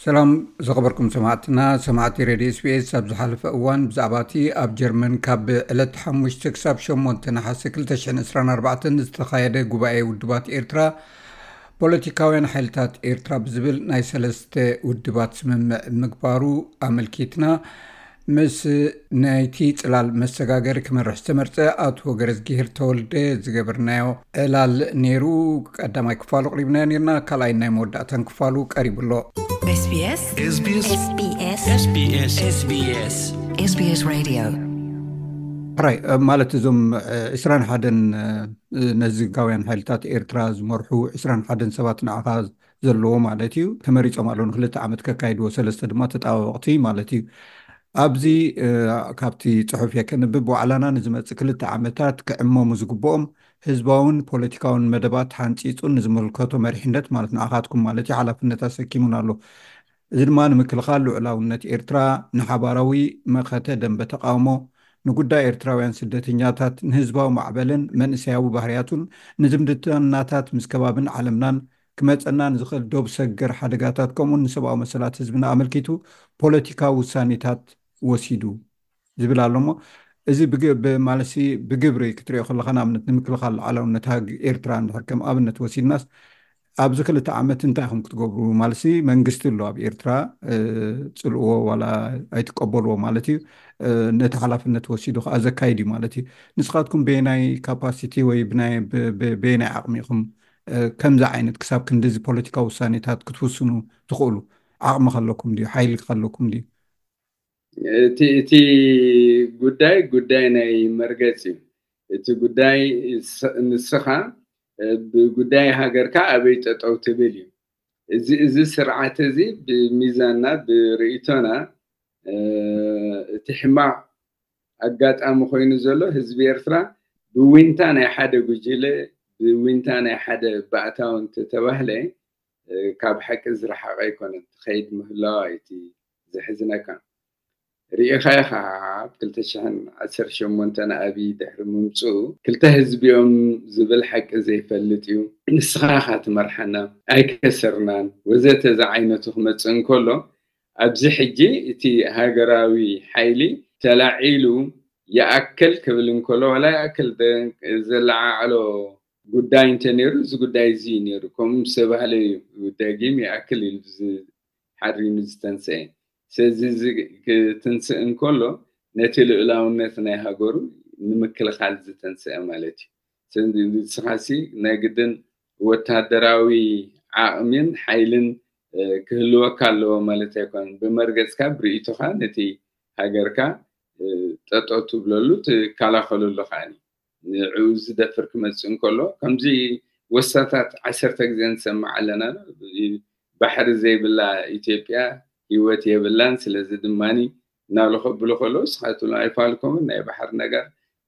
ሰላም ዝኸበርኩም ሰማዕትና፣ ሰማዕቲ ሬድዮ ኤስቢኤስ። ኣብ ዝሓለፈ እዋን ብዛዕባ እቲ ኣብ ጀርመን ካብ ዕለት ሓሙሽተ ክሳብ ሸሞንተ ነሓሰ ክልተ ሽሕን ዕስራን ኣርባዕተን ዝተኻየደ ጉባኤ ውድባት ኤርትራ፣ ፖለቲካውያን ሓይልታት ኤርትራ ብዝብል ናይ ሰለስተ ውድባት ስምምዕ ምግባሩ ኣመልኪትና፣ ምስ ናይቲ ጽላል መሰጋገሪ ክመርሕ ዝተመርጸ ኣቶ ገረዝጊሄር ተወልደ ዝገበርናዮ ዕላል ነይሩ። ቀዳማይ ክፋሉ ኣቕሪብናዮ ነይርና፣ ካልኣይ ናይ መወዳእታን ክፋሉ ቀሪቡ ኣሎ። SBS SBS SBS SBS SBS Radio። ሕራይ፣ ማለት እዞም ዕስራን ሓደን ነዚ ጋውያን ሓይልታት ኤርትራ ዝመርሑ ዕስራን ሓደን ሰባት ንዓኻ ዘለዎ ማለት እዩ። ተመሪጾም ኣለዉ ንክልተ ዓመት ከካይድዎ፣ ሰለስተ ድማ ተጣባበቕቲ ማለት እዩ። ኣብዚ ካብቲ ጽሑፍ እየ ከንብብ፣ ዋዕላና ንዝመጽእ ክልተ ዓመታት ክዕመሙ ዝግብኦም ህዝባውን ፖለቲካውን መደባት ሓንጺጹን ንዝምልከቶ መሪሕነት ማለት ንኣኻትኩም ማለት እዩ ሓላፍነት ኣሰኪሙን ኣሎ። እዚ ድማ ንምክልኻል ልዑላውነት ኤርትራ፣ ንሓባራዊ መኸተ ደንበ ተቃውሞ፣ ንጉዳይ ኤርትራውያን ስደተኛታት፣ ንህዝባዊ ማዕበልን መንእሰያዊ ባህርያቱን፣ ንዝምድናታት ምስ ከባብን ዓለምናን ክመጸና ንዝኽእል ዶብ ሰገር ሓደጋታት፣ ከምኡውን ንሰብኣዊ መሰላት ህዝብና ኣመልኪቱ ፖለቲካዊ ውሳኔታት ወሲዱ ዝብል ኣሎ። እሞ እዚ ብግ-፣ ብ-፣ ማለትሲ ብግብሪ ክትሪኦ ከለኻ፣ ንኣብነት ንምክልኻል ሉዓላውነት ሃግ ኤርትራ እንድሕር ከም ኣብነት ወሲድናስ፣ ኣብዚ ክልተ ዓመት እንታይ ኢኹም ክትገብሩ? ማለትሲ መንግስቲ ኣሎ ኣብ ኤርትራ፣ እ፣ ጽልእዎ ዋላ ኣይትቀበልዎ ማለት እዩ። እ፣ ነቲ ሓላፍነት ወሲዱ ከኣ ዘካይድ እዩ ማለት እዩ። ንስኻትኩም በየናይ ካፓሲቲ ወይ ብናይ፣ ብ-፣ ብ-፣ በየናይ ዓቕሚ ኢኹም፣ እ፣ ከምዚ ዓይነት ክሳብ ክንድዚ ፖለቲካዊ ውሳኔታት ክትውስኑ ትኽእሉ? ዓቕሚ ከለኩም ድዩ? ሓይሊ ከለኩም ድዩ? እቲ፣ እቲ ጉዳይ፣ ጉዳይ ናይ መርገጽ እዩ። እቲ ጉዳይ ስ-፣ ንስኻ፣ እ፣ ብጉዳይ ሃገርካ ኣበይ ጠጠው ትብል እዩ። እዚ፣ እዚ ስርዓት እዚ ብሚዛንና፣ ብርእይቶና፣ እ፣ እቲ ሕማቕ ኣጋጣሚ ኮይኑ ዘሎ ህዝቢ ኤርትራ ብዊንታ ናይ ሓደ ጉጅለ፣ ብዊንታ ናይ ሓደ ባእታዊ እንተተባህለ፣ እ፣ ካብ ሓቂ ዝረሓቐ ኣይኮነን። ትኸይድ ምህላዋ እዩ እቲ ዘሕዝነካ። ርኢኻ ኢኻ፣ ኣብ ክልተ ሽሕን ዓሰርተ ሸሞንተን ኣብይ ድሕሪ ምምጽኡ፣ ክልተ ህዝቢ እዮም ዝብል ሓቂ ዘይፈልጥ እዩ። ንስኻ ኢኻ ትመርሓና፣ ኣይከሰርናን፣ ወዘተ ዝዓይነቱ ክመጽእ እንከሎ፣ ኣብዚ ሕጂ እቲ ሃገራዊ ሓይሊ ተላዒሉ ይኣክል ክብል እንከሎ፣ ዋላ ይኣክል ደ-፣ ዘለዓዕሎ ጉዳይ እንተ ነይሩ፣ እዚ ጉዳይ እዚ እዩ ነይሩ። ከምኡ ምስ ተባህለ እዩ ደጊም ይኣክል ኢሉ ዝ-፣ ሓሪኑ ዝተንስአ። ስለዚ እዚ ክትንስእ እንከሎ፣ ነቲ ልኡላውነት ናይ ሃገሩ ንምክልኻል ዝተንስአ ማለት እዩ። ስለዚ ንስኻሲ ናይ ግድን ወታደራዊ ዓቕሚን ሓይልን፣ እ፣ ክህልወካ ኣለዎ ማለት ኣይኮነን። ብመርገጽካ፣ ብርእይቶኻ ነቲ ሃገርካ፣ እ፣ ጠጠው ትብለሉ፣ ትከላኸለሉ ከኣ ንዕኡ ዝደፍር ክመጽእ እንከሎ፣ ከምዚ ወሳታት ዓሰርተ ግዜ ንሰምዕ ኣለና። ባሕሪ ዘይብላ ኢትዮጵያ ህይወት የብላን። ስለዚ ድማኒ እናሉ ከብሉ ከለዉ፣ ንስኻትኩም ኣይፋልኩምን። ናይ ባሕሪ ነገር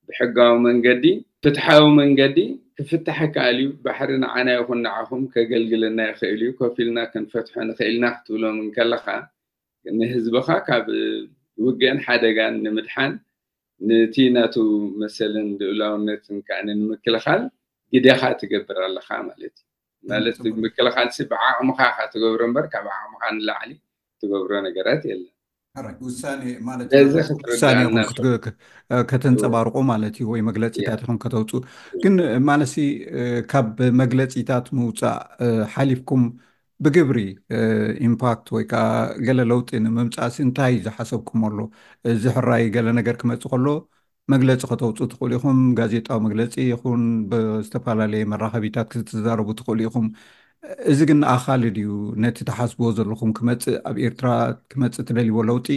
ብሕጋዊ መንገዲ፣ ፍትሓዊ መንገዲ ክፍታሕ ይከኣል እዩ። ባሕሪ ንዓና ይኹን ንዓኹም ከገልግለና ይኽእል እዩ። ኮፍ ኢልና ክንፈትሖ ንኽእል ኢና ክትብሎም እንከለኻ፣ ንህዝብኻ ካብ ውግእን ሓደጋን ንምድሓን፣ ነቲ ናቱ መሰልን ልኡላውነትን ከኣ ንምክልኻል ግደኻ ትገብር ኣለኻ ማለት እዩ። ማለት፣ ጽቡቅ። ምክልኻልሲ ብዓቕምኻ ኢኻ ትገብሮ እምበር፣ ካብ ዓቕምኻ ንላዕሊ ትገብሮ ነገራት የለን። ሕራይ፣ ውሳኔ ማለት ነዚ ክትርዳእ ውሳኔ ኢኹም እናብ- ክትግ-፣ ክ-፣ እ፣ ከተንጸባርቁ ማለት እዩ፣ ወይ መግለጺታት ያ። ኢኹም ከተውጹ። ያ። ግን፣ እ፣ ማለትሲ፣ እ፣ ካብ መግለጺታት ምውጻእ፣ እ፣ ሓሊፍኩም ብግብሪ፣ እ፣ ኢምፓክት ወይ ከኣ ገለ ለውጢ ንምምጻእሲ እንታይ ዝሓሰብኩም ኣሎ? እዚ ሕራይ ገለ ነገር ክመጽእ ከሎ መግለጺ ከተውጹ ትኽእሉ ኢኹም። ጋዜጣዊ መግለጺ ይኹን ብዝተፈላለየ መራኸቢታት ክትዛረቡ ትኽእሉ ኢኹም። እዚ ግን ኣኻሊ ድዩ? ነቲ ትሓስብዎ ዘለኹም ክመጽእ፣ ኣብ ኤርትራ ክመጽእ ትደልይዎ ለውጢ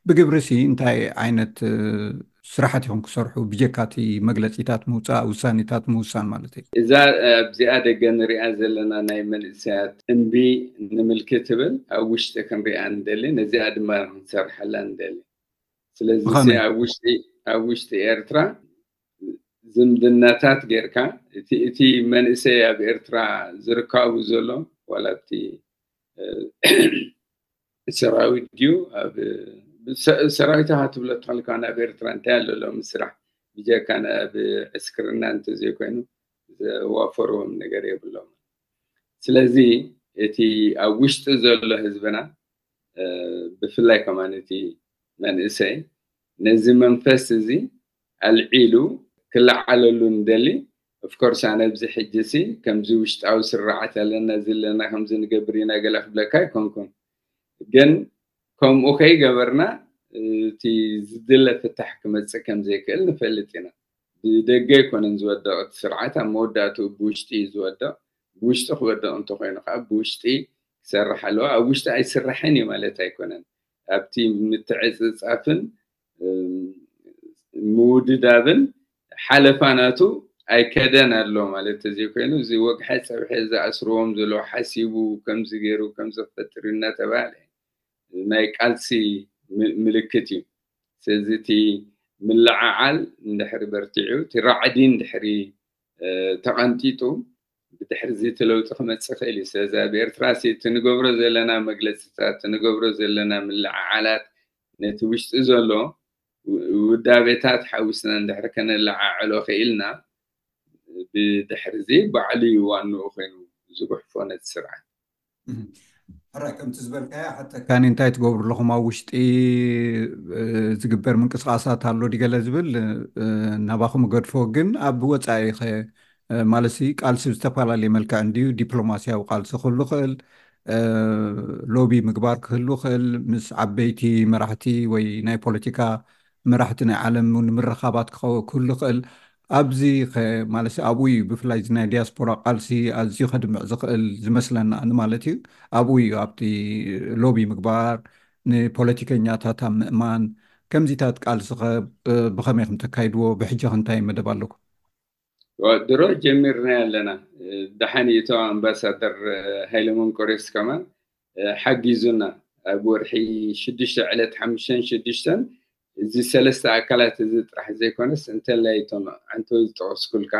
ብግብሪሲ እንታይ ዓይነት፣ እ፣ ስራሓት ኢኹም ክሰርሑ? ብጀካ እቲ መግለጺታት ምውጻእ፣ ውሳኔታት ምውሳን ማለት እዩ። እዛ ኣብዚኣ ደገ ንሪኣ ዘለና ናይ መንእሰያት እምቢ ንምልኪ ትብል፣ ኣብ ውሽጢ ክንሪኣ ንደሊ፣ ነዚኣ ድማ ክንሰርሓላ ንደሊ። ስለዚ ብኸመይ? ኣብ ውሽጢ፣ ኣብ ውሽጢ ኤርትራ ዝምድናታት ጌርካ፣ እቲ፣ እቲ መንእሰይ ኣብ ኤርትራ ዝርካቡ ዘሎ፣ ዋላ ኣብቲ፣ እ፣ ሰራዊት ድዩ፣ ኣብ፣ ሰ-፣ ሰራዊት ኢኻ ትብሎ ተኾንካ፣ ኣብ ኤርትራ እንታይ ኣሎ ሎም ስራሕ? ብጀካ ኣብ ዕስክርና እንተዘይኮይኑ ዘዋፈርዎም ነገር የብሎም። ስለዚ እቲ ኣብ ውሽጢ ዘሎ ህዝብና ብፍላይ ከማን እቲ መንእሰይ ነዚ መንፈስ እዚ ኣልዒሉ ክለዓለሉ ንደሊ። ኦፍኮርስ ኣነ ኣብዚ ሕጂ ሲ ከምዚ ውሽጣዊ ስርዓት ኣለና፣ እዚ ኣለና፣ ከምዚ ንገብር ኢና ገለ ክብለካ ኣይኮንኩን። ግን ከምኡ ከይገበርና እቲ ዝድለ ፍታሕ ክመፅእ ከም ዘይክእል ንፈልጥ ኢና። ብደገ ኣይኮነን ዝወደቕ እቲ ስርዓት፣ ኣብ መወዳእትኡ ብውሽጢ እዩ ዝወደቕ። ብውሽጢ ክወደቕ እንተኮይኑ ከዓ ብውሽጢ ክሰርሕ ኣለዎ። ኣብ ውሽጢ ኣይስራሕን እዩ ማለት ኣይኮነን። ኣብቲ ምትዕፅፃፍን ምውድዳብን ሓለፋ ናቱ ኣይከደን ኣሎ ማለት እዚ ኮይኑ፣ እዚ ወግሐ ፀብሐ ዝኣስርዎም ዘለዉ ሓሲቡ ከምዚ ገይሩ ከምዚ ክፈጥር እናተባህለ ናይ ቃልሲ ምልክት እዩ። ስለዚ እቲ ምልዓዓል እንድሕሪ በርቲዑ፣ እቲ ራዕዲ እንድሕሪ ተቐንጢጡ፣ ብድሕሪ እዚ እቲ ለውጢ ክመፅእ ይኽእል እዩ። ስለዚ ኣብ ኤርትራ እቲ ንገብሮ ዘለና መግለፅታት፣ እቲ ንገብሮ ዘለና ምልዓዓላት ነቲ ውሽጢ ዘሎ ውዳቤታት ሓዊስና እንድሕሪ ከነለዓዕሎ ክኢልና፣ ብድሕሪ እዚ ባዕሉ እዩ ዋንኡ ኮይኑ ዝጉሕፎ ነቲ ስርዓት። ሕራይ ከምቲ ዝበልካያ ሓተካኒ እንታይ ትገብሩ ኣለኹም ኣብ ውሽጢ ዝግበር ምንቅስቃሳት ኣሎ ዲገለ ዝብል ናባኹም ገድፎ፣ ግን ኣብ ወፃኢ ኸ ማለት ቃልሲ ብዝተፈላለየ መልክዕ እንድዩ ዲፕሎማሲያዊ ቃልሲ ክህሉ ክእል፣ ሎቢ ምግባር ክህሉ ክእል፣ ምስ ዓበይቲ መራሕቲ ወይ ናይ ፖለቲካ መራሕቲ ናይ ዓለም ንምርኻባት ክህሉ ክእል። ኣብዚ ማለት ኣብኡ እዩ ብፍላይ እዚ ናይ ዲያስፖራ ቃልሲ ኣዝዩ ከድምዕ ዝኽእል ዝመስለና ማለት እዩ። ኣብኡ እዩ ኣብቲ ሎቢ ምግባር፣ ንፖለቲከኛታት ኣብ ምእማን። ከምዚታት ቃልሲ ኸ ብኸመይ ከም ተካይድዎ፣ ብሕጂ ኸ እንታይ መደብ ኣለኩም? ድሮ ጀሚርና ኣለና። ደሓን እቶ ኣምባሳደር ሃይለ መንቆሬስ ከማን ሓጊዙና። ኣብ ወርሒ ሽዱሽተ ዕለት ሓሙሽተን ሽዱሽተን እዚ ሰለስተ ኣካላት እዚ ጥራሕ ዘይኮነስ እንተላይ እቶም ዓንተወይ ዝጠቐስኩልካ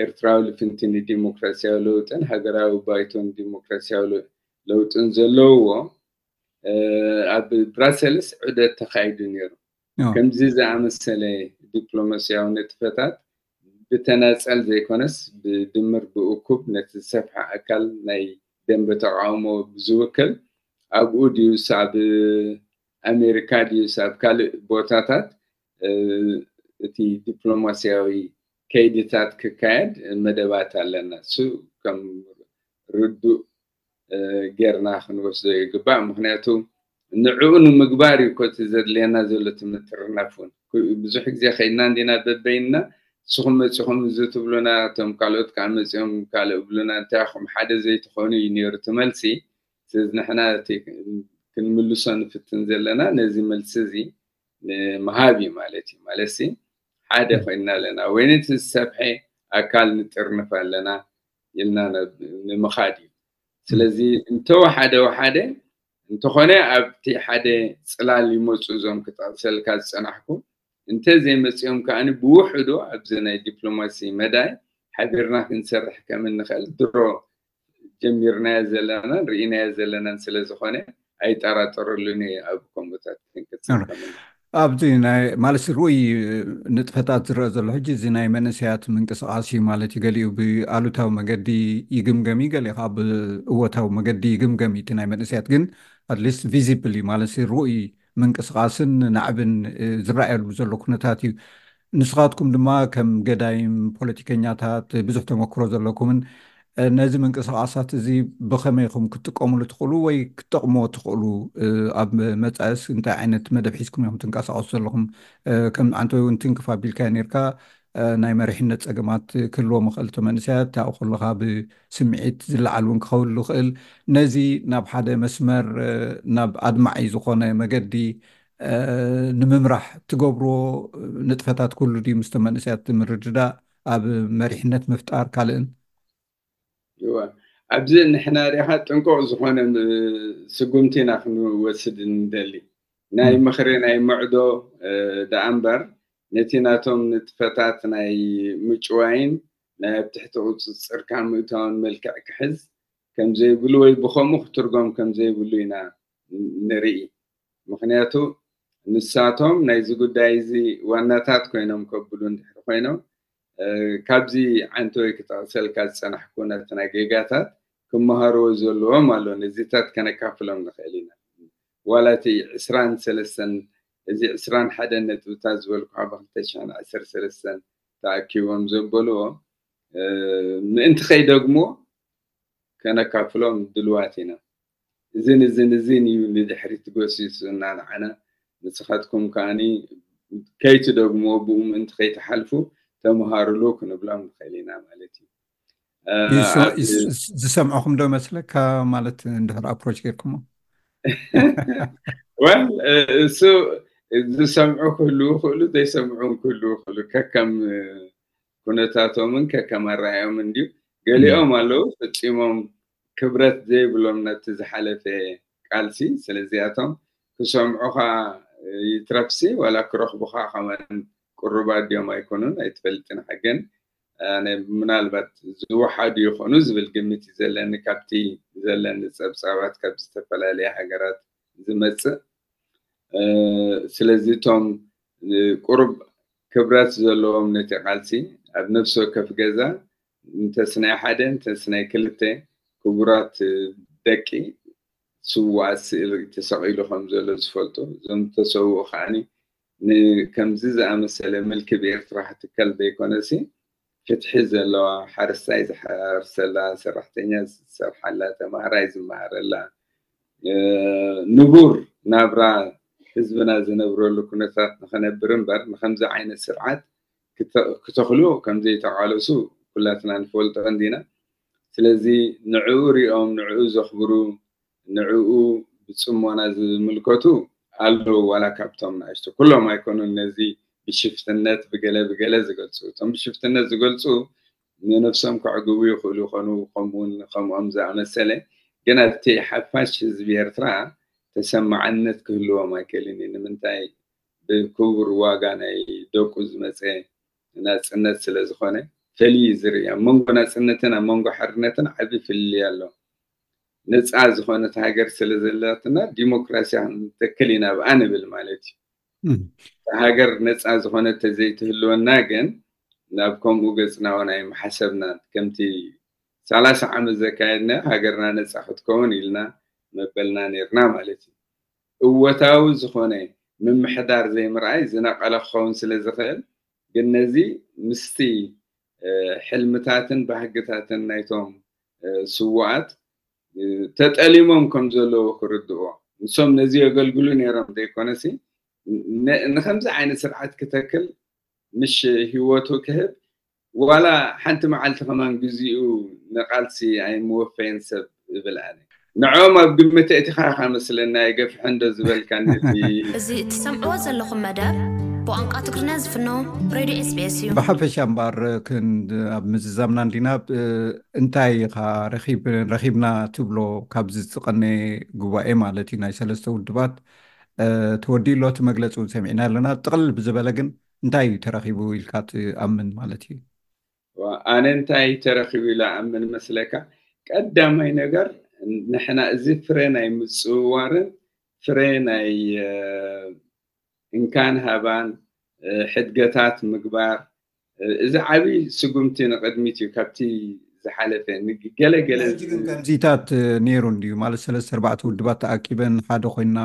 ኤርትራዊ ልፍንቲ ንዲሞክራሲያዊ ለውጥን ሃገራዊ ባይቶን ዲሞክራሲያዊ ለውጥን ዘለውዎ ኣብ ብራሰልስ ዑደት ተኻይዱ ነይሩ። ከምዚ ዝኣመሰለ ዲፕሎማሲያዊ ንጥፈታት ብተናጸል ዘይኮነስ ብድምር ብእኩብ ነቲ ዝሰፍሐ ኣካል ናይ ደንበ ተቃውሞ ብዝውክል ኣብኡ ድዩስ ኣብ ኣሜሪካ ድዩስ ኣብ ካልእ ቦታታት እቲ ዲፕሎማሲያዊ ከይድታት ክካየድ መደባት ኣለና። እሱ ከም ርዱእ ጌርና ክንወስዶ ይግባእ። ምክንያቱ ንዕኡ ንምግባር እዩ ኮቲ ዘድልየና ዘሎ ትምጥርናፍ እውን ብዙሕ ግዜ ከይድና እንዲና በበይንና ንስኹም መፂኹም እዚ ትብሉና እቶም ካልኦት ከዓ መፂኦም ካልእ ብሉና እንታይ ኢኹም ሓደ ዘይትኾኑ እዩ ነይሩ እቲ መልሲ። ስለዚ ንሕና እቲ ክንምልሶ ንፍትን ዘለና ነዚ መልሲ እዚ ንምሃብ እዩ ማለት እዩ። ማለት ሓደ ኮይንና ኣለና ወይ ነቲ ዝሰፍሐ ኣካል ንጥርንፍ ኣለና ኢልና ንምኻድ እዩ። ስለዚ እንተወሓደ ወሓደ እንተኾነ ኣብቲ ሓደ ፅላል ይመፁ እዞም ክጠቕሰልካ ዝፀናሕኩ እንተ ዘይመፅኦም ከዓኒ ብውሕዱ ኣብዚ ናይ ዲፕሎማሲ መዳይ ሓቢርና ክንሰርሕ ከም እንኽእል ድሮ ጀሚርናዮ ዘለናን ርኢናዮ ዘለናን ስለ ዝኾነ ኣይጠራጠረሉን እየ ኣብ ከምኡታት ክንቅፅል ከም እንኽእል። ኣብዚ ናይ ማለት ርኡይ ንጥፈታት ዝረአ ዘሎ ሕጂ እዚ ናይ መንእሰያት ምንቅስቃስ እዩ ማለት እዩ። ገሊኡ ብኣሉታዊ መገዲ ይግምገም እዩ፣ ገሊኡ ከዓ ብእወታዊ መገዲ ይግምገም እዩ። እቲ ናይ መንእሰያት ግን ኣትሊስት ቪዚብል እዩ ማለት ርኡይ ምንቅስቃስን ናዕብን ዝረኣየሉ ዘሎ ኩነታት እዩ። ንስኻትኩም ድማ ከም ገዳይም ፖለቲከኛታት ብዙሕ ተመክሮ ዘለኩምን ነዚ ምንቅስቃሳት እዚ ብኸመይ ኢኹም ክትጥቀሙሉ ትኽእሉ ወይ ክትጠቕምዎ ትኽእሉ? ኣብ መጻእስ እንታይ ዓይነት መደብ ሒዝኩም ኢኹም ትንቀሳቀሱ ዘለኹም? ከም ዓንተወይ እውን ትንክፍ ኣቢልካዮ ነርካ፣ ናይ መሪሕነት ጸገማት ክህልዎም ይኽእል። እቲ መንእሰያት ኣብኡ ከለኻ ብስምዒት ዝለዓል እውን ክኸውን ይኽእል። ነዚ ናብ ሓደ መስመር፣ ናብ ኣድማዒ ዝኾነ መገዲ ንምምራሕ ትገብርዎ ንጥፈታት ኩሉ ድዩ ምስቶም መንእሰያት ምርድዳእ ኣብ መሪሕነት ምፍጣር ካልእን? እወ፣ ኣብዚ ንሕና ሪኢኻ ጥንቁቕ ዝኾነ ስጉምቲ ኢና ክንወስድ ንደሊ። ናይ ምኽሪ ናይ ምዕዶ ደኣ እምበር ነቲ ናቶም ንጥፈታት ናይ ምጭዋይን ናይ ኣብ ትሕቲ ቁፅፅርካ ምእታውን መልክዕ ክሕዝ ከም ዘይብሉ ወይ ብኸምኡ ክትርጎም ከም ዘይብሉ ኢና ንርኢ። ምኽንያቱ ንሳቶም ናይዚ ጉዳይ እዚ ዋናታት ኮይኖም ከብሉ እንድሕሪ ኮይኖም ካብዚ ዓንተወይ ክጠቕሰልካ ዝፀናሕኩ ነቲ ናይ ጌጋታት ክመሃርዎ ዘለዎም ኣሎ። ነዚታት ከነካፍሎም ንኽእል ኢና። ዋላ እቲ ዕስራን ሰለስተን፣ እዚ ዕስራን ሓደን ነጥብታት ዝበልኩኻ ብ ክልተ ሽሕን ዓሰርተ ሰለስተን ተኣኪቦም ዘበልዎ፣ እ፣ ምእንቲ ከይደግሞ ከነካፍሎም ድልዋት ኢና። እዝን እዝን እዝን እዩ ንድሕሪት ጎሲሱና ንዓና። ንስኻትኩም ከኣኒ ከይትደግሞ፣ ብኡ ምእንቲ ከይትሓልፉ ተምሃሩሉ ክንብሎም ንኽእል ኢና ማለት እዩ። እ፣ ይስ-፣ ኣብ ይስ-፣ ዝሰምዑኹም ዶ መስለካ? ማለት እንድሕር ኣፕሮች ጌርኩሞ? ወል፣ እ፣ እሱ ዝሰምዑ ክህልዉ ይኽእሉ፣ ዘይሰምዑ እውን ክህልዉ ይኽእሉ። ከከም፣ እ፣ ኩነታቶምን ከከም ኣረኣእዮምን እንድዩ። ገሊኦም ኣለዉ ፈጺሞም ክብረት ዘይብሎም ነቲ ዝሓለፈ ቃልሲ። ስለዚኣቶም ክሰምዑኻ ይትረፍሲ፣ ዋላ ክረኽቡኻ ከማን ቅሩባት ድዮም ኣይኮኑን ኣይትፈልጥን። ሓገን ኣነ ምናልባት ዝወሓዱ ይኾኑ ዝብል ግምት እዩ ዘለኒ፣ ካብቲ ዘለኒ ጸብጻባት ካብ ዝተፈላለያ ሃገራት ዝመጽእ። እ፣ ስለዚ እቶም፣ እ፣ ቁሩብ ክብረት ዘለዎም ነቲ ቃልሲ ኣብ ነፍሲ ወከፍ ገዛ እንተስ ናይ ሓደ እንተስ ናይ ክልተ ክቡራት ደቂ ስዉኣት ስእሊ ተሰቒሉ ከም ዘሎ ዝፈልጡ፣ እዞም ዝተሰውኡ ከዓኒ ንከምዚ ዝኣመሰለ ምልኪ ብኤርትራ ክትከል ዘይኮነሲ፣ ፍትሒ ዘለዋ፣ ሓረስታይ ዝሓርሰላ፣ ሰራሕተኛ ዝሰርሓላ፣ ተማሃራይ ዝመሃረላ፣ እ፣ ንቡር ናብራ ህዝብና ዝነብረሉ ኩነታት ንኸነብር እምበር፣ ንኸምዚ ዓይነት ስርዓት ክተ-፣ ክተኽሉ ከም ዘይተቓለሱ ኩላትና ንፈልጦ እንዲና። ስለዚ ንዕኡ ሪኦም፣ ንዕኡ ዘኽብሩ፣ ንዕኡ ብጽሞና ዝምልከቱ ኣለዉ፣ ዋላ ካብቶም ንኣሽቱ። ኩሎም ኣይኮኑን ነዚ ብሽፍትነት ብገለ ብገለ ዝገልጹ። እቶም ብሽፍትነት ዝገልጹ ንነፍሶም ከዕግቡ ይኽእሉ ይኾኑ፣ ከምኡውን ከምኦም ዝኣመሰለ። ግን ኣብቲ ሓፋሽ ህዝቢ ኤርትራ ተሰማዓነት ክህልዎም ኣይክእልን እዩ። ንምንታይ? ብክቡር ዋጋ ናይ ደቁ ዝመጸ ናጽነት ስለ ዝኾነ፣ ፈልዩ እዩ ዝርኢ። ኣብ መንጎ ናጽነትን ኣብ መንጎ ሓርነትን ዓቢ ፍልልይ ኣሎ። ነጻ ዝኾነት ሃገር ስለ ዘላትና፣ ዲሞክራስያ ክንተክል ኢና ብኣ ንብል ማለት እዩ። እም። እታ ሃገር ነጻ ዝኾነት ተዘይትህልወና ግን፣ ናብ ከምኡ ገጽና እውን ኣይምሓሰብናን። ከምቲ ሰላሳ ዓመት ዘካየድና፣ ሃገርና ነጻ ክትከውን ኢልና መበልና ነይርና ማለት እዩ። እወታዊ ዝኾነ ምምሕዳር ዘይምርኣይ ዝነቐለ ክኸውን ስለ ዝኽእል፣ ግን ነዚ ምስቲ፣ እ፣ ሕልምታትን ባህግታትን ናይቶም፣ እ፣ ስዉኣት፣ እ፣ ተጠሊሞም ከም ዘለዉ ክርድእዎ። ንሶም ነዚ የገልግሉ ነይሮም ዘይኮነሲ፣ ን-፣ ንኸምዚ ዓይነት ስርዓት ክተክል፣ ምሽ ህይወቱ ክህብ፣ ዋላ ሓንቲ መዓልቲ ከማን ግዚኡ ንቃልሲ ኣይምወፈየን ሰብ እብል ኣነ። ንዕኦም ኣብ ግምት ኣእቲኻ ኢኻ መስለኒ፣ ኣይገፍሐን ዶ ዝበልካኒ እቲ እዚ እትሰምዕዎ ዘለኹም መደብ ብቋንቋ ትግርኛ ዝፍኖ ሬድዮ ኤስ ቢ ኤስ እዩ። ብሓፈሻ እምበኣር፣ ክንድ-፣ ኣብ ምዝዛምና እንዲና፣ እ፣ እንታይ ኢኻ ረኺብ-፣ ረኺብና ትብሎ ካብዚ ዝቐነ ጉባኤ ማለት እዩ፣ ናይ ሰለስተ ውድባት፣ እ፣ ተወዲኡ ኣሎ፣ እቲ መግለጺ እውን ሰሚዕና ኣለና። ጥቕልል ብዝበለ ግን እንታይ እዩ ተረኺቡ ኢልካ ትኣምን ማለት እዩ? ዋ፣ ኣነ እንታይ ተረኺቡ ኢለ ኣምን መስለካ? ቀዳማይ ነገር፣ ንሕና እዚ ፍረ ናይ ምጽውዋርን ፍረ ናይ፣ እ፣ እንካን ሃባን፣ እ፣ ሕድገታት ምግባር፣ እ፣ እዚ ዓቢ ስጉምቲ ንቕድሚት እዩ ካብቲ ዝሓለፈ። ንግ-፣ ገለ ገለ ሕጂ ግን ከምዚታት፣ እ፣ ነይሩ እንድዩ ማለት፣ ሰለስተ ኣርባዕተ ውድባት ተኣኪበን ሓደ ኮይና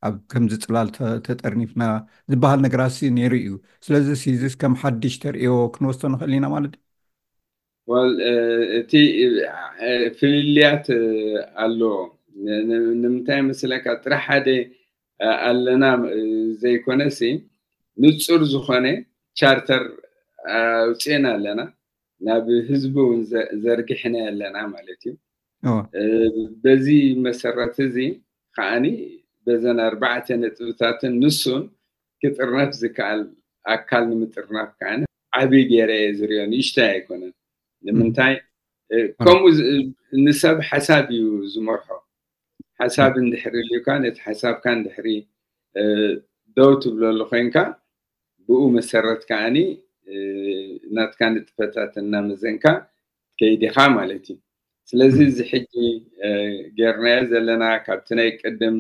ኣብ ከምዚ ጽላል ተ-፣ ተጠርኒፍና ዝበሃል ነገራትሲ ነይሩ እዩ። ስለዚ ሲዚስ ከም ሓድሽ ተርእዮ ክንወስዶ ንኽእል ኢና ማለት እዩ? ወል፣ እ፣ እቲ፣ እ፣ ፍልልያት፣ እ፣ ኣለዎ። ን-፣ ን-፣ ንምንታይ መስለካ? ጥራሕ ሓደ፣ እ፣ ኣለና፣ እ፣ ዘይኮነሲ፣ ንጹር ዝኾነ ቻርተር፣ እ፣ ኣውጺእና ኣለና። ናብ ህዝቢ እውን ዘ-፣ ዘርጊሕና ኣለና ማለት እዩ። እወ። እ፣ በዚ መሰረት እዚ ከዓኒ በዘን ኣርባዕተ ነጥብታትን ንሱን ክጥርነፍ ዝከኣል ኣካል ንምጥርናፍ ከዓኒ ዓቢ ገይረ እየ ዝሪኦ፣ ንእሽተይ ኣይኮነን። ንምንታይ? እ፣ ከምኡ ዝ-፣ ንሰብ ሓሳብ እዩ ዝመርሖ። ሓሳብ እንድሕሪ ልዩካ፣ ነቲ ሓሳብካ እንድሕሪ፣ እ፣ ደው ትብለሉ ኮይንካ፣ ብኡ መሰረት ከዓኒ፣ እ፣ ናትካ ንጥፈታት እናመዘንካ ትከይድ ኢኻ ማለት እዩ። ስለዚ እዚ ሕጂ፣ እ፣ ጌርናዮ ዘለና ካብቲ ናይ ቅድም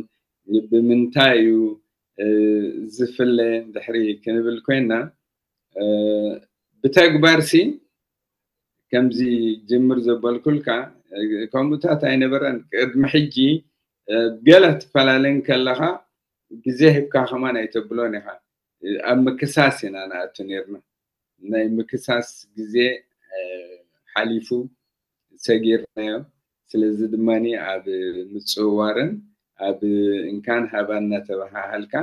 ን-፣ ብምንታይ እዩ፣ እ፣ ዝፍለ እንድሕሪ ክንብል ኮይንና፣ እ፣ ብተግባርሲ ከምዚ ጅምር ዘበልኩልካ፣ ከምኡታት ኣይነበረን። ቅድሚ ሕጂ ገለ ትፈላለን ከለኻ ግዜ ሂብካ ከማን ኣይተብሎን ኢኻ። ኣብ ምክሳስ ኢና ንኣቱ ነርና። ናይ ምክሳስ ግዜ ሓሊፉ፣ ሰጊርናዮ። ስለዚ ድማ ኣብ ምፅውዋርን ኣብ እንካን ሃባን እናተበሃሃልካ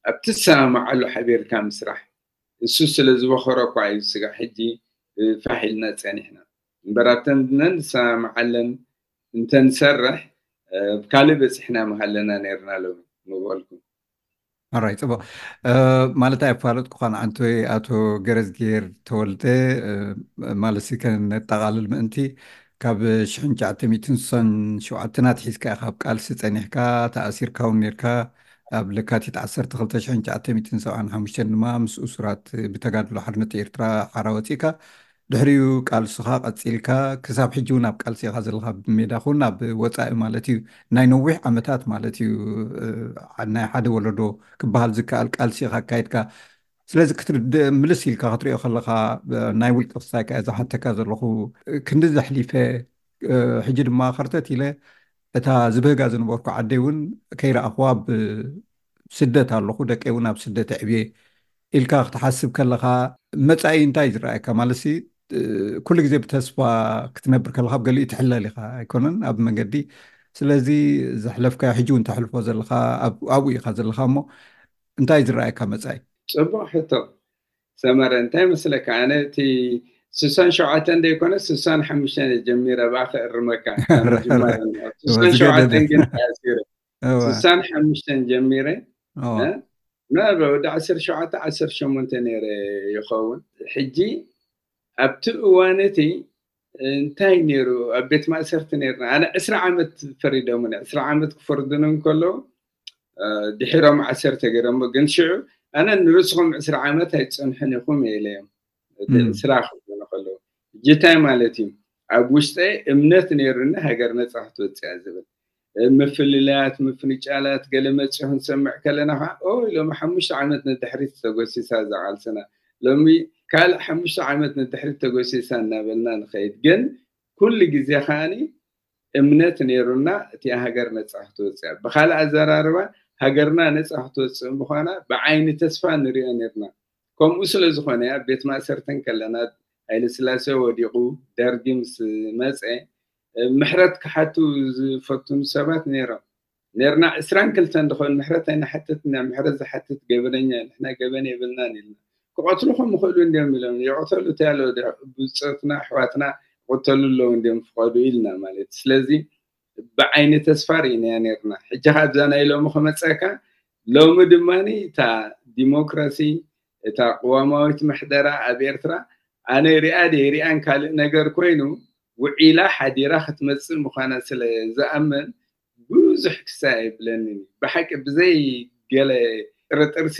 ኣብ ትሰማማዓሉ ሓቢርካ ምስራሕ፣ እሱ ስለ ዝበኸሮ እኳ እዩ ስጋዕ ሕጂ ፋሕ ኢልና ፀኒሕና። እምበር ኣብተን ነንሰማማዓለን እንተንሰርሕ ካልእ በፂሕና ምሃለና ነርና ሎሚ ምበልኩ። ኣራይ ፅቡቅ። ማለት ኣይፋለጥኩኻን። ኣንቶይ ኣቶ ገረዝጌር ተወልደ፣ ማለት ከነጠቓልል ምእንቲ፣ ካብ ሽሕን ትሽዓተ ሚእትን ስሳን ሸውዓተን ኣትሒዝካ ኢኻ ኣብ ቃልሲ ፀኒሕካ፣ ተኣሲርካ እውን ነርካ። ኣብ ለካቲት ዓሰርተ ክልተ ሽሕን ትሽዓተ ሚእትን ሰብዓን ሓሙሽተን ድማ ምስ እሱራት ብተጋድሎ ሓርነት ኤርትራ ሓራ ወፂእካ። ድሕሪኡ ቃልስኻ ቀፂልካ ክሳብ ሕጂ እውን ኣብ ቃልሲ ኢኻ ዘለኻ፣ ብሜዳ ኹን ኣብ ወፃኢ ማለት እዩ። ናይ ነዊሕ ዓመታት ማለት እዩ። ናይ ሓደ ወለዶ ክበሃል ዝከኣል ቃልሲ ኢኻ ኣካይድካ። ስለዚ ምልስ ኢልካ ክትሪኦ ከለኻ፣ ናይ ውልቂ ክሳይ ከ ዝሓተካ ዘለኹ፣ ክንዲ ዘሕሊፈ፣ ሕጂ ድማ ከርተት ኢለ እታ ዝበህጋ ዝነበርኩ ዓደይ እውን ከይረኣኽዋ ኣብ ስደት ኣለኹ፣ ደቀይ እውን ኣብ ስደት ኣዕብየ ኢልካ ክትሓስብ ከለኻ፣ መጻኢ እንታይ ዝረኣየካ? ማለት ኩሉ ግዜ ብተስፋ ክትነብር ከለኻ፣ ኣብ ገሊኡ ትሕለል ኢኻ ኣይኮነን ኣብ መንገዲ። ስለዚ ዘሕለፍካዮ፣ ሕጂ እውን ተሕልፎ ዘለኻ፣ ኣብኡ ኢኻ ዘለኻ እሞ፣ እንታይ ዝረኣየካ መጻኢ? ጽቡቕ ሕቶ ሰመረ። እንታይ መስለካ፣ ኣነ እቲ ስሳን ሸውዓተን ዘይኮነ ስሳን ሓሙሽተን ጀሚረ ብኣ ክእርመካ። ስሳን ሸውዓተን ግን ተኣሲረ። ስሳን ሓሙሽተን ጀሚረ፣ ምናልባት ወዲ ዓሰርተ ሸውዓተ ዓሰርተ ሸሞንተ ነይረ ይኸውን። ሕጂ ኣብቲ እዋን እቲ እንታይ ነይሩ፣ ኣብ ቤት ማእሰርቲ ነይርና። ኣነ ዕስራ ዓመት ፈሪዶምኒ። ዕስራ ዓመት ክፈርዱኒ እንከለዉ ድሒሮም ዓሰርተ ገይሮሞ። ግን ሽዑ ኣነ ንርስኹም ዕስራ ዓመት ኣይትጸንሑን ኢኹም እየ ኢለዮም። ዕስራ ክብሉኒ ከለዉ፣ ሕጂ እንታይ ማለት እዩ? ኣብ ውሽጠይ እምነት ነይሩኒ ሃገር ነጻ ክትወጽእ እያ ዝብል። ምፍልላያት፣ ምፍንጫላት ገለ መጺኡ ክንሰምዕ ከለና ከዓ፣ ኦይ ሎሚ ሓሙሽተ ዓመት ንድሕሪት ተጎሲሳ እዛ ቃልስና፣ ሎሚ ካልእ ሓሙሽተ ዓመት ንድሕሪት ተጎሲሳ እናበልና ንኸይድ። ግን ኩሉ ግዜ ከዓኒ እምነት ነይሩና እቲኣ ሃገር ነጻ ክትወጽእ እያ። ብኻልእ ኣዘራርባ ሃገርና ነጻ ክትወጽእ ምዃና ብዓይኒ ተስፋ ንሪኦ ነይርና። ከምኡ ስለ ዝኾነ ኣብ ቤት ማእሰርቲ እንከለና፣ ሃይለስላሴ ወዲቑ ደርጊ ምስ መጸ፣ ምሕረት ክሓቱ ዝፈትኑ ሰባት ነይሮም። ነርና ዕስራን ክልተን ድኾን ምሕረት ኣይንሓትትና፣ ምሕረት ዝሓትት ገበነኛ፣ ንሕና ገበን የብልናን ኢልና። ክቐትሉኹም ይኽእሉ እንዲዮም ኢሎም፣ ይቕተሉ እንታይ ኣሎ፣ ብጾትና ኣሕዋትና ክቕተሉ ኣለዉ እንዲዮም ፍቐዱ ኢልና ማለት። ስለዚ ብዓይኒ ተስፋ ርኢናያ ነርና። ሕጂ ኸዓ ኣብዛ ናይ ሎሚ ክመጸካ፣ ሎሚ ድማ እታ ዲሞክራሲ፣ እታ ቅዋማዊት ምሕደራ ኣብ ኤርትራ ኣነ ሪኣ ድየ ሪኣን ካልእ ነገር ኮይኑ፣ ውዒላ ሓዲራ ክትመጽእ ምዃና ስለ ዝኣምን ብዙሕ ክሳይ ኣይብለንን እዩ። ብሓቂ ብዘይ ገለ ጥርጥርሲ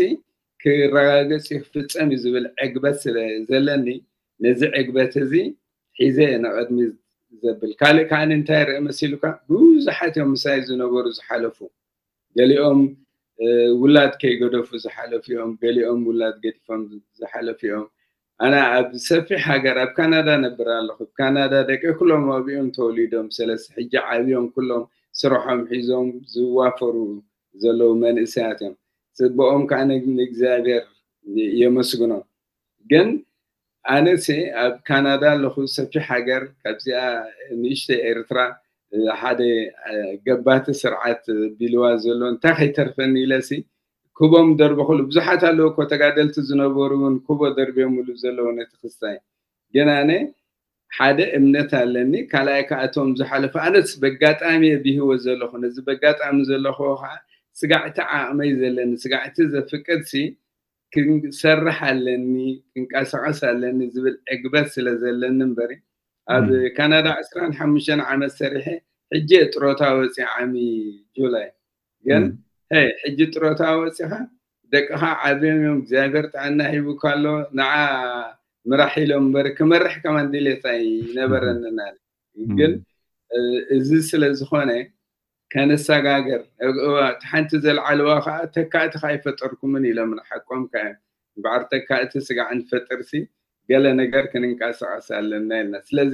ክረጋገጽ እዩ ክፍጸም እዩ ዝብል ዕግበት ስለ ዘለኒ፣ ነዚ ዕግበት እዚ ሒዘ እየ ንቐድሚት ዘብል። ካልእ ከኣ እንታይ ይርእ መሲሉካ? ብዙሓት እዮም ምሳይ ዝነበሩ ዝሓለፉ። ገሊኦም ውላድ ከይገደፉ ዝሓለፉ እዮም፣ ገሊኦም ውላድ ገዲፎም ዝሓለፉ እዮም። ኣነ ኣብ ሰፊሕ ሃገር ኣብ ካናዳ ነብር ኣለኹ። ኣብ ካናዳ ደቂ ኩሎም ኣብኦም ተወሊዶም፣ ስለዚ ሕጂ ዓብዮም ኩሎም ስርሖም ሒዞም ዝዋፈሩ ዘለዉ መንእሰያት እዮም። ጽብኦም ከዓ ንእግዚኣብሔር የመስግኖ። ግን ኣነሲ ኣብ ካናዳ ኣለኹ፣ ሰፊሕ ሃገር፣ ካብዚኣ ንእሽተይ ኤርትራ ሓደ ገባቲ ስርዓት ቢልዋ ዘሎ እንታይ ከይተርፈኒ ኢለሲ ክቦም ደርበኹሉ። ብዙሓት ኣለዉ እኮ ተጋደልቲ ዝነበሩ እውን ክቦ ደርብዮምሉ ዘለዉ ነቲ ክስታይ። ግን ኣነ ሓደ እምነት ኣለኒ። ካልኣይ ከኣቶም ዝሓለፉ፣ ኣነስ በጋጣሚ እየ ብህይወት ዘለኹ። ነዚ በጋጣሚ ዘለኹ ከዓ ስጋዕቲ ዓቕመይ ዘለኒ፣ ስጋዕቲ ዘፍቅድሲ ክንሰርሕ ኣለኒ፣ ክንቀሳቐስ ኣለኒ ዝብል ዕግበት ስለ ዘለኒ እምበሪ፣ ኣብ ካናዳ ዕስራን ሓሙሽተን ዓመት ሰሪሐ፣ ሕጂ እየ ጥሮታ ወፂአ ዓሚ ጁላይ። ግን ሄይ፣ ሕጂ ጥሮታ ወፂኻ፣ ደቅኻ ዓብዮም እዮም፣ እግዚኣብሔር ጥዕና ሂቡካ ኣሎ፣ ንዓ ምራሕ ኢሎም እምበሪ፣ ክመርሕ ከማን ድሌት ኣይነበረንን ኣነ። ግን እዚ ስለ ዝኾነ፣ ከነሰጋግር፣ እዋ፣ እቲ ሓንቲ ዘልዓልዋ ከዓ ተካእቲ ከዓ ኣይፈጠርኩምን ኢሎም፣ ንሓቆም ከዓ እምበኣር ተካእቲ ስጋዕ ንፈጥርሲ ገለ ነገር ክንንቀሳቐስ ኣለና ኢልና። ስለዚ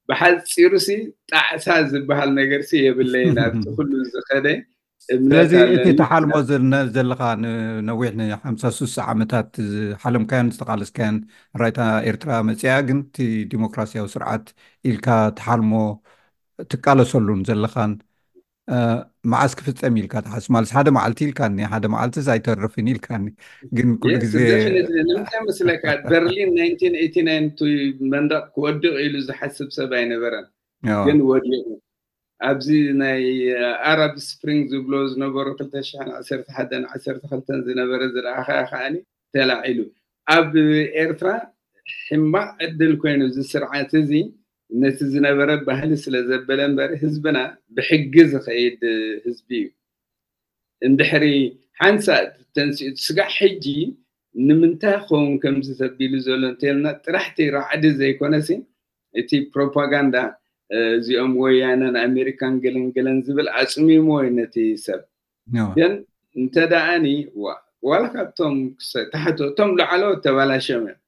ብሓፂሩ ሲ ጣዕሳ ዝበሃል ነገር ሲ የብለይን ኣብቲ ኩሉ ዝኸደ እምነት ስለዚ እቲ ኣለኒ። ተሓልሞ ዘነ- ዘለኻ ንነዊሕ ንሓምሳ ስሳ ዓመታት ዝሓለምካዮን ዝተቃለስካዮን ራይታ ኤርትራ መፅያ ግን እቲ ዲሞክራሲያዊ ስርዓት ኢልካ ተሓልሞ ትቃለሰሉን ዘለኻን እ፣ መዓስ ክፍፀም ኢልካ ትሓስብ ማለት ሓደ መዓልቲ ኢልካኒ ሓደ መዓልትስ ኣይተርፍን ኢልካኒ ግን ኩሉ Yes, ግዜ definitely. ንምንታይ መስለካ በርሊን ናይንቲን ኤይቲ ናይን እቲ መንደቕ ክወድቕ ኢሉ ዝሓስብ ሰብ ኣይነበረን፣ ያው፣ ግን ወዲቑ። ኣብዚ ናይ ኣረብ ስፕሪንግ ዝብሎ ዝነበሩ ክልተ ሽሕን ዓሰርተ ሓደን ዓሰርተ ክልተን ዝነበረ ዝረኣኻ ከዓኒ ተላዒሉ። ኣብ ኤርትራ ሕማቕ ዕድል ኮይኑ እዚ ስርዓት እዚ ነቲ ዝነበረ ባህሊ ስለ ዘበለ እምበር ህዝብና ብሕጊ ዝኸይድ ህዝቢ እዩ። እንድሕሪ ሓንሳእ ተንሲኡ ስጋዕ ሕጂ ንምንታይ ክኸውን ከምዚ ተቢሉ ዘሎ እንተልና ጥራሕቲ ራዕዲ ዘይኮነሲ እቲ ፕሮፓጋንዳ እ፣ እዚኦም ወያነን ኣሜሪካን ገለን ገለን ዝብል ኣፅሚሞ እዩ ነቲ ሰብ። ያው፣ ግን እንተ ደኣኒ ዋ- ዋላ ካብቶም ክሰ- ታሕቶ እቶም ላዕለዎት ተባላሽዮም እዮም።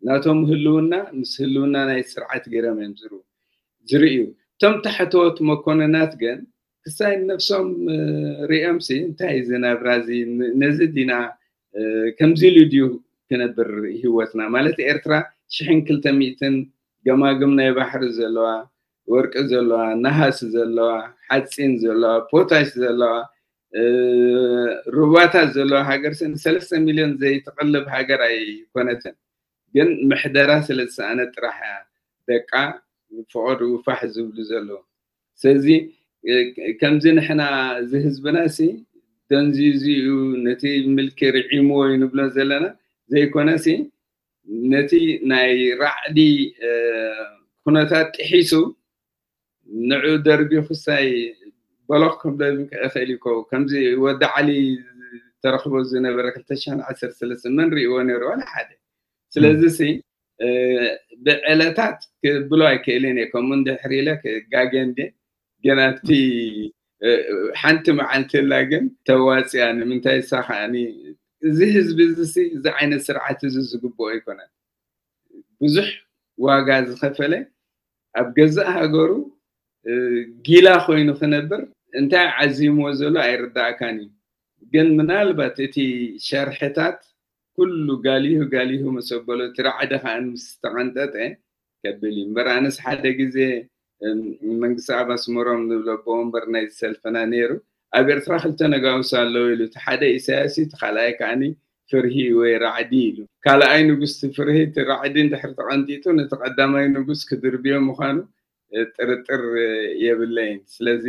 ናቶም ህልውና ምስ ህልውና ናይ ስርዓት ገይሮም እዮም ዝርኡ ዝርእዩ። እቶም ታሕተዎት መኮንናት ግን ክሳይ ነፍሶም እ፣ ሪኦም ሲ እንታይ እዚ ናብራ እዚ ን- ነዚ ዲና እ፣ ከምዚ ኢሉ ድዩ ክነብር ህይወትና ማለት ኤርትራ ሽሕን ክልተ ሚእትን ገማግም ናይ ባሕሪ ዘለዋ ወርቂ ዘለዋ ነሃስ ዘለዋ ሓፂን ዘለዋ ፖታሽ ዘለዋ እ፣ ሩባታት ዘለዋ ሃገር ሲ ንሰለስተ ሚልዮን ዘይትቐልብ ሃገር ኣይኮነትን። ግን ምሕደራ ስለ ዝሰኣነ ጥራሕ እያ ደቃ ፈቐድኡ ፋሕ ዝብሉ ዘለዉ። ስለዚ እ፣ ከምዚ ንሕና እዚ ህዝብና ሲ ደንዚዙ እዩ ነቲ ምልኪ ርዒምዎ እዩ ንብሎ ዘለና ዘይኮነ ሲ ነቲ ናይ ራዕዲ እ፣ ኩነታት ጥሒሱ ንዑ ደርቢ ክሳይ በሎኽ ክብሎ ይኽእል እዩ። ከምዚ ወዲ ዓሊ ተረኽቦ ዝነበረ ክልተ ሽሕን ዓሰርተ ሰለስተ መን ሪእዎ ነይሩ? ዋላ ሓደ። ስለዚ ሲ እ፣ ብዕለታት ክብሎ ኣይክእልን እየ። ከምኡ እንድሕር ኢለ ክጋገ እንደ ግን ኣብቲ እ፣ ሓንቲ መዓልቲ ላ ግን ተዋፅያ ንምንታይ እሳ ከዓኒ እዚ ህዝቢ እዚ ሲ እዚ ዓይነት ስርዓት እዚ ዝግብኦ ኣይኮነን። ብዙሕ ዋጋ ዝኸፈለ ኣብ ገዛእ ሃገሩ እ፣ ጊላ ኮይኑ ክነብር እንታይ ዓዚምዎ ዘሎ ኣይርዳእካን እዩ። ግን ምናልባት እቲ ሸርሕታት ኩሉ ጋሊሁ ጋሊሁ ምስ ኣበሎ እቲ ራዕዲ ከዓ ምስ ተቐንጠጠ ከብል እዩ እምበር ኣነስ ሓደ ግዜ እም፣ መንግስቲ ኣብ ኣስመሮም ንብሎ ኣቦ ወንበር ናይ ዝሰልፍና ነይሩ ኣብ ኤርትራ ክልተ ነጋውስ ኣለዉ ኢሉ እቲ ሓደ ኢሳያስ እዩ እቲ ካልኣይ ከዓኒ ፍርሂ ወይ ራዕዲ ኢሉ ካልኣይ ንጉስ እቲ ፍርሂ እቲ ራዕዲ እንድሕር ተቐንጢጡ ነቲ ቀዳማይ ንጉስ ክድርብዮ ምዃኑ እ፣ ጥርጥር እ፣ የብለይን ስለዚ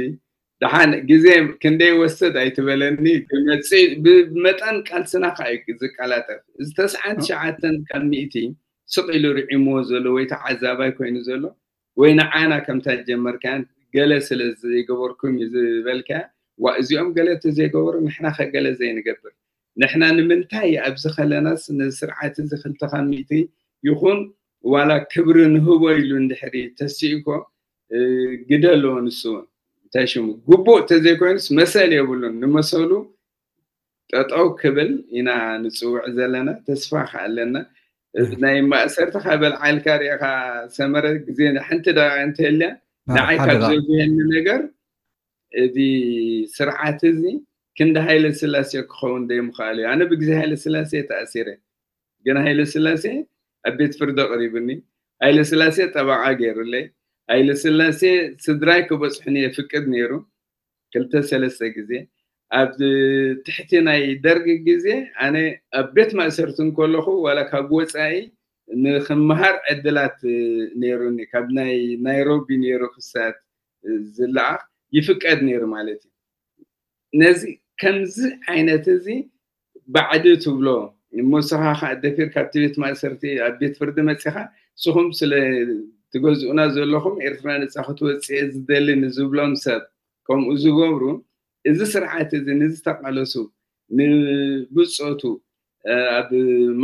ደሓን ግዜ ክንደይ ወስድ ኣይትበለኒ ክመፅእ ብመጠን ቃልስና ከዓ እዩ ዝቀላጠፍ እዚ ተስዓን ትሽዓተን ካብ ሚእቲ ስቕ ኢሉ ርዒምዎ ዘሎ ወይ ተዓዛባይ ኮይኑ ዘሎ ወይ ንዓና ከምታ ጀመርካያን ገለ ስለ ዘይገበርኩም እዩ ዝበልካያ ዋ እዚኦም ገለ ተዘይገበሩ ንሕና ከገለ ዘይንገብር ንሕና ንምንታይ ኣብዚ ከለናስ ንስርዓት እዚ ክልተ ካብ ሚእቲ ይኹን ዋላ ክብሪ ንህቦ ኢሉ እንድሕሪ ተሲእኮ እ፣ ግደ ኣለዎ ንሱ እውን እንታይ ሽሙ ግቡእ ተዘይኮይኑስ መሰል የብሉን ንመሰሉ ጠጠው ክብል ኢና ንፅውዕ ዘለና ተስፋ ከኣለና ናይ ማእሰርቲ ካብ በልዓልካ ሪእኻ ሰመረ ግዜ ሓንቲ ደቂቃ እንተልያ ንዓይ ካብ ዘጉየኒ ነገር እዚ ስርዓት እዚ ክንዲ ሃይለ ስላሴ ክኸውን ደይምኽኣል እዩ ኣነ ብግዜ ሃይለ ስላሴ ተኣሲረ ግን ሃይለ ስላሴ ኣብ ቤት ፍርዲ ኣቕሪብኒ ሃይለ ስላሴ ጠበቓ ገይሩለይ ሃይለ ስላሴ ስድራይ ክበፅሑኒ የፍቅድ ነይሩ ክልተ ሰለስተ ግዜ ኣብ ትሕቲ ናይ ደርግ ግዜ ኣነ ኣብ ቤት ማእሰርቲ እንከለኹ ዋላ ካብ ወፃኢ ንክምሃር ዕድላት ነይሩኒ ካብ ናይ ናይሮቢ ነይሩ ክሳት ዝለኣኽ ይፍቀድ ነይሩ ማለት እዩ ነዚ ከምዚ ዓይነት እዚ ባዕዲ ትብሎ እሞ ንስኻ ከዓ ደፊር ካብቲ ቤት ማእሰርቲ ኣብ ቤት ፍርዲ መፂኻ ንስኹም ስለ ትገዝኡና ዘለኹም ኤርትራ ነፃ ክትወፅእ ዝደሊ ንዝብሎም ሰብ ከምኡ ዝገብሩ እዚ ስርዓት እዚ ንዝተቃለሱ ንብፆቱ ኣብ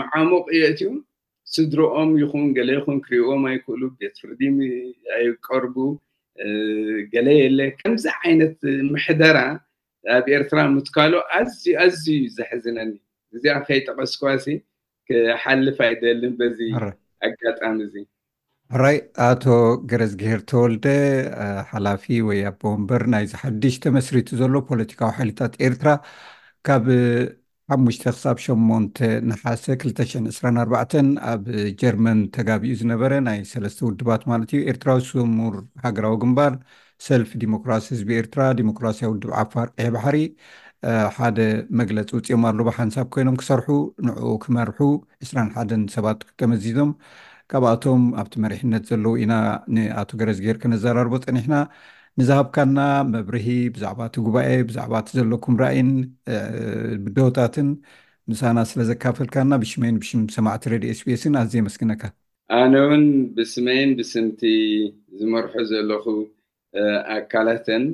መዓሙቕ የእትዩ ስድሮኦም ይኹን ገለ ይኹን ክሪእዎም ኣይክእሉ ቤት ፍርዲ ኣይቀርቡ ገለ የለ ከምዚ ዓይነት ምሕደራ ኣብ ኤርትራ ምትካሉ ኣዝዩ ኣዝዩ እዩ ዘሕዝነኒ እዚኣ ከይጠቀስኳሲ ክሓልፍ ኣይደልን በዚ ኣጋጣሚ እዚ ሕራይ፣ ኣቶ ገረዝግሄር ተወልደ፣ ሓላፊ ወይ ኣቦ ወንበር ናይዚ ሓድሽ ተመስሪቱ ዘሎ ፖለቲካዊ ሓይልታት ኤርትራ፣ ካብ ሓሙሽተ ክሳብ ሸሞንተ ነሓሰ ክልተ ሽሕን ዕስራን ኣርባዕተን ኣብ ጀርመን ተጋቢኡ ዝነበረ ናይ ሰለስተ ውድባት ማለት እዩ፣ ኤርትራዊ ስሙር ሃገራዊ ግንባር፣ ሰልፊ ዲሞክራሲ ህዝቢ ኤርትራ፣ ዲሞክራሲያዊ ውድብ ዓፋር ቀይሕ ባሕሪ ሓደ መግለፂ ውፅኦም ኣሎ። ብሓንሳብ ኮይኖም ክሰርሑ ንዕኡ ክመርሑ ዕስራን ሓደን ሰባት ተመዚዞም። ካብኣቶም ኣብቲ መሪሕነት ዘለዉ ኢና ንኣቶ ገረዝግሄር ከነዘራርቦ ፀኒሕና። ንዝሃብካና መብርሂ ብዛዕባ እቲ ጉባኤ፣ ብዛዕባ እቲ ዘለኩም ራእይን ብድሆታትን ምሳና ስለ ዘካፈልካና ብሽመይን ብሽም ሰማዕቲ ሬድዮ ኤስቢኤስን ኣዝየ የመስግነካ። ኣነ እውን ብስመይን ብስምቲ ዝመርሖ ዘለኹ ኣካላትን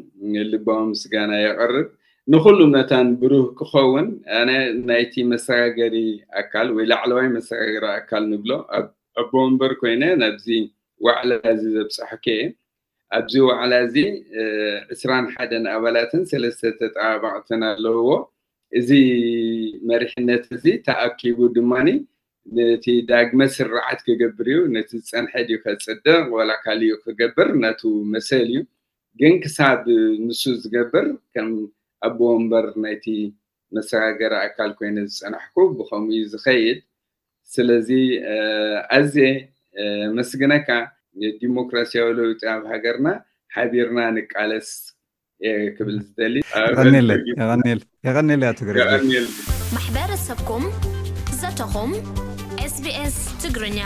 ልባዊ ምስጋና የቕርብ። ንኹሉ መታን ብሩህ ክኸውን ኣነ ናይቲ መሰጋገሪ ኣካል ወይ ላዕለዋይ መሰጋገሪ ኣካል ንብሎ ኣቦ ወንበር ኮይነ ናብዚ ዋዕላ እዚ ዘብጻሕኩ እየ። ኣብዚ ዋዕላ እዚ ዕስራን ሓደን ኣባላትን ሰለስተ ተጠባባቕትን ኣለውዎ። እዚ መሪሕነት እዚ ተኣኪቡ ድማ ነቲ ዳግመ ስርዓት ክገብር እዩ። ነቲ ዝጸንሐ ድዩ ከጽድቕ ወላ ካልእ ክገብር ነቱ መሰል እዩ። ግን ክሳብ ንሱ ዝገብር ከም ኣቦ ወንበር ናይቲ መሰጋገሪ ኣካል ኮይነ ዝጸናሕኩ ብኸምኡ እዩ ዝኸይድ። ስለዚ ኣዝየ መስግነካ። ዲሞክራሲያዊ ለውጢ ኣብ ሃገርና ሓቢርና ንቃለስ ክብል ዝደሊ። የቐንየለይ ኣቶ ገረዝግሄር። ማሕበረሰብኩም ዘተኹም ኤስቢኤስ ትግርኛ።